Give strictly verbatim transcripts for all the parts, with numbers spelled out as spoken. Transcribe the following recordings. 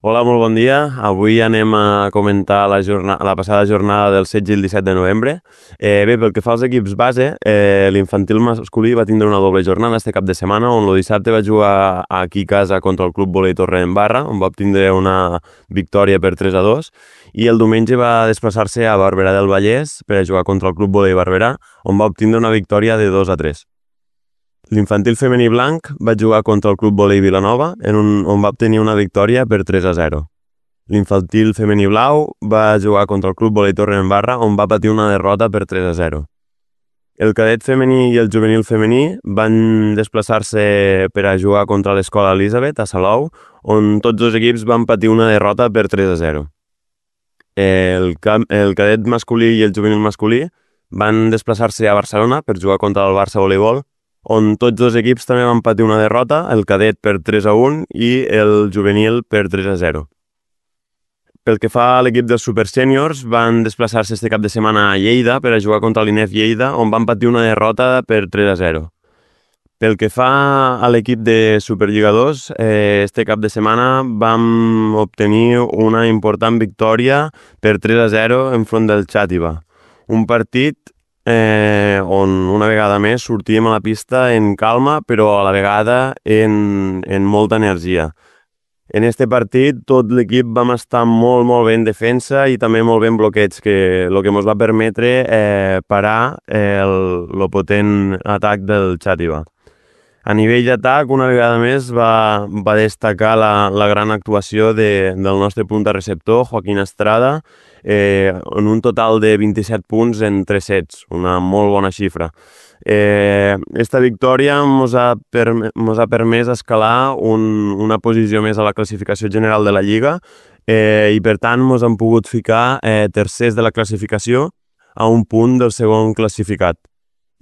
Hola, molt bon dia. Avui anem a comentar la, jornada, la passada jornada del setze i el disset de novembre. Eh, bé, pel que fa als equips base, eh, l'infantil masculí va tindre una doble jornada este cap de setmana, on el dissabte va jugar aquí a casa contra el Club Volei Torredembarra, on va obtindre una victòria per tres a dos, i el diumenge va desplaçar-se a Barberà del Vallès per a jugar contra el Club Volei Barberà, on va obtindre una victòria de dos a tres. L'infantil femení blanc va jugar contra el Club Volei Vilanova, en un, on va obtenir una victòria per tres a zero. L'infantil femení blau va jugar contra el Club Volei Torredembarra, on va patir una derrota per tres a zero. El cadet femení i el juvenil femení van desplaçar-se per a jugar contra l'Escola Elisabet a Salou, on tots dos equips van patir una derrota per tres a zero. El, el cadet masculí i el juvenil masculí van desplaçar-se a Barcelona per jugar contra el Barça Voleibol, on tots dos equips també van patir una derrota, el cadet per tres a un i el juvenil per tres a zero. Pel que fa a l'equip dels supersèniors, van desplaçar-se este cap de setmana a Lleida per a jugar contra l'I N E F Lleida, on van patir una derrota per tres a zero. Pel que fa a l'equip de Superlligadors, eh, este cap de setmana vam obtenir una important victòria per tres a zero enfront del Xàtiva. Un partit Eh, on una vegada més sortíem a la pista en calma, però a la vegada en, en molta energia. En este partit tot l'equip vam estar molt, molt bé en defensa i també molt bé en bloqueig, que el que ens va permetre eh, parar eh, el, el potent atac del Xàtiva. A nivell d'atac, una vegada més, va, va destacar la, la gran actuació de, del nostre punta receptor, Joaquín Estrada, eh, en un total de vint-i-set punts en tres sets, una molt bona xifra. Eh, esta victòria ens ha, perm ha permès escalar un, una posició més a la classificació general de la Lliga eh, i per tant ens hem pogut ficar eh, tercers de la classificació a un punt del segon classificat.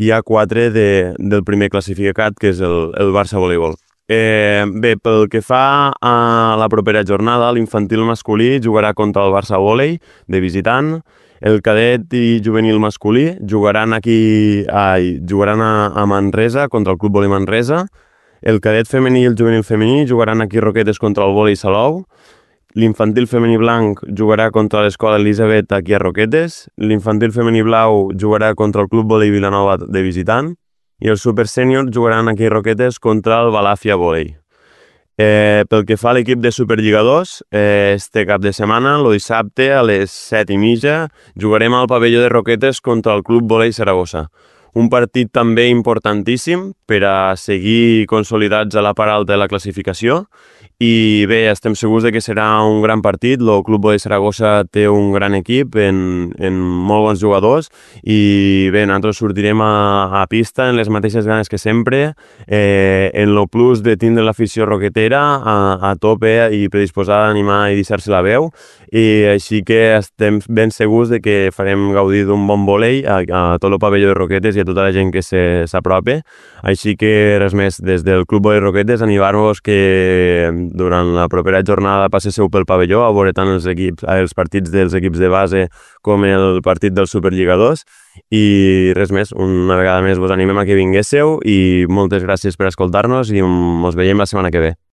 Hi ha quatre de, del primer classificat, que és el, el Barça Voleibol. Eh, bé, pel que fa a la propera jornada, l'infantil masculí jugarà contra el Barça Volei de visitant, el cadet i juvenil masculí jugaran aquí ai, jugaran a, a Manresa contra el Club Volei Manresa, el cadet femení i el juvenil femení jugaran aquí a Roquetes contra el Volei Salou, l'infantil femení blanc jugarà contra l'Escola Elisabet aquí a Roquetes, l'infantil femení blau jugarà contra el Club Volei Vilanova de visitant i els supersèniors jugaran aquí a Roquetes contra el Balàfia Volei. Eh, pel que fa a l'equip de Superlligadors, eh, este cap de setmana, el dissabte a les set i mitja, jugarem al pavelló de Roquetes contra el Club Volei Saragossa. Un partit també importantíssim per a seguir consolidats a la part alta de la classificació. I bé, estem segurs de que serà un gran partit. El Club Volei Saragossa té un gran equip en, en molt bons jugadors i bé, nosaltres sortirem a, a pista en les mateixes ganes que sempre, eh, en el plus de tindre l'afició roquetera a, a tope i predisposada a animar i deixar-se la veu, i així que estem ben segurs de que farem gaudir d'un bon volei a, a tot el pavelló de Roquetes i a tota la gent que s'apropi. Així que res més, des del Club Volei Roquetes animar-vos que durant la propera jornada passeu pel pavelló a veure tant els, equips, els partits dels equips de base com el partit dels Superlligadors, i res més, una vegada més vos animem a que vinguéssiu i moltes gràcies per escoltar-nos i ens veiem la setmana que ve.